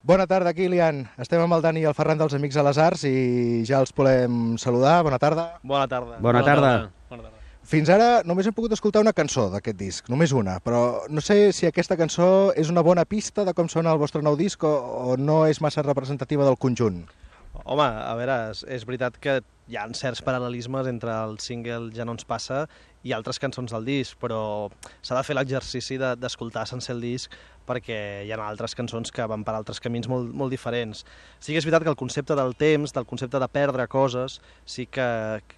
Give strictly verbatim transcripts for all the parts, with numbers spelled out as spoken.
Bona tarda, Kilian. Estem amb el Dani i el Ferran dels Amics a les Arts i ja els volem saludar. Bona tarda. Bona tarda. Bona tarda. Bona tarda. Fins ara només hem pogut escoltar una cançó d'aquest disc, només una, però no sé si aquesta cançó és una bona pista de com sona el vostre nou disc o, o no és massa representativa del conjunt. Home, a veure, és, és veritat que hi ha certs paral·lelismes entre el single Ja no ens passa i altres cançons del disc, però s'ha de fer l'exercici de, d'escoltar sense el disc perquè hi ha altres cançons que van per altres camins molt, molt diferents. Sí que és veritat que el concepte del temps, del concepte de perdre coses, sí que,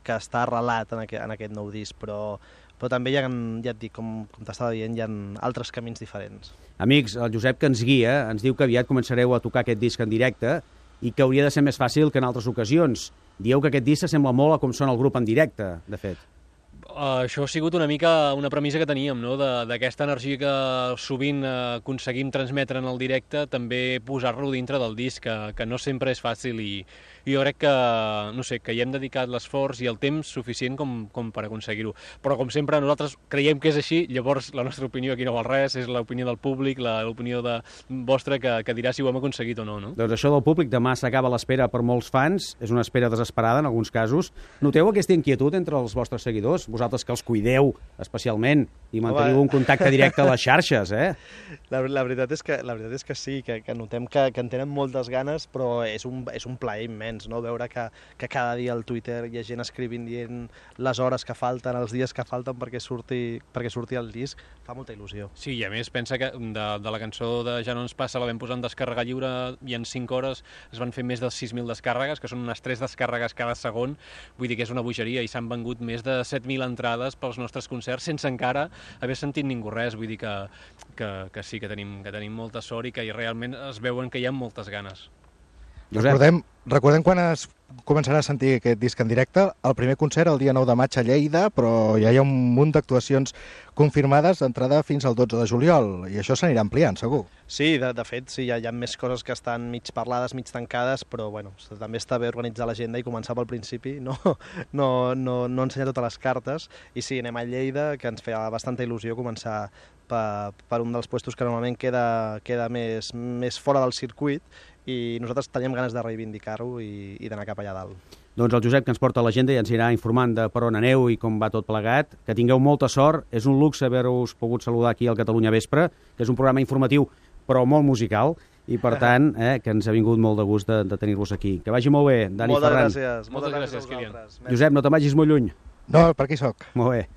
que està arrelat en aquest, en aquest nou disc, però, però també hi ha, ja et dic, com, com t'estava dient, hi ha altres camins diferents. Amics, el Josep que ens guia ens diu que aviat començareu a tocar aquest disc en directe i que hauria de ser més fàcil que en altres ocasions. Dieu que aquest disc s'assembla molt a com sona el grup en directe, de fet. Uh, això ha sigut una mica una premissa que teníem, no? D'aquesta energia que sovint uh, aconseguim transmetre en el directe, també posar-lo dintre del disc, que, que no sempre és fàcil i, i jo crec que, no sé, que hi hem dedicat l'esforç i el temps suficient com, com per aconseguir-ho. Però, com sempre, nosaltres creiem que és així, llavors la nostra opinió aquí no val res, és l'opinió del públic, l'opinió de vostra que, que dirà si ho hem aconseguit o no, no? Doncs això del públic, demà s'acaba l'espera per molts fans, és una espera desesperada en alguns casos. Noteu aquesta inquietud entre els vostres seguidors? Vosaltres que els cuideu especialment i manteniu Home. un contacte directe a les xarxes, eh? La, la, veritat, és que, la veritat és que sí, que, que notem que, que en tenen moltes ganes, però és un, és un plaer immens, no? Veure que, que cada dia al Twitter hi ha gent escrivint dient les hores que falten, els dies que falten perquè surti, perquè surti el disc, fa molta il·lusió. Sí, i a més pensa que de, de la cançó de Ja no ens passa la vam posar en descàrrega lliure i en cinc hores es van fer més de sis mil descàrregues, que són unes tres descàrregues cada segon, vull dir que és una bogeria, i s'han vengut més de set mil entrades pels nostres concerts sense encara haver sentit ningú res, vull dir que, que, que sí, que tenim, que tenim molta sort i que realment es veuen que hi ha moltes ganes. Recordem, recordem quan es començarà a sentir aquest disc en directe. El primer concert el dia nou de maig a Lleida, però ja hi ha un munt d'actuacions confirmades d'entrada fins al dotze de juliol, i això s'anirà ampliant, segur. Sí, de, de fet, sí, hi ha, hi ha més coses que estan mig parlades, mig tancades, però bueno, també està bé organitzar l'agenda i començar pel principi, no, no, no, no ensenyar totes les cartes, i sí, anem a Lleida, que ens feia bastanta il·lusió començar per, per un dels puestos que normalment queda, queda més, més fora del circuit, i nosaltres teníem ganes de reivindicar-ho i, i d'anar cap allà dalt. Doncs el Josep, que ens porta l'agenda, i ens irà informant de per on aneu i com va tot plegat. Que tingueu molta sort. És un luxe haver-vos pogut saludar aquí al Catalunya Vespre, que és un programa informatiu però molt musical, i per tant, eh, que ens ha vingut molt de gust de, de tenir-vos aquí. Que vagi molt bé, Dani Moltes Ferran. gràcies. Moltes gràcies, Kilian. Josep, no te'n vagis molt lluny. No, per aquí soc. Molt bé.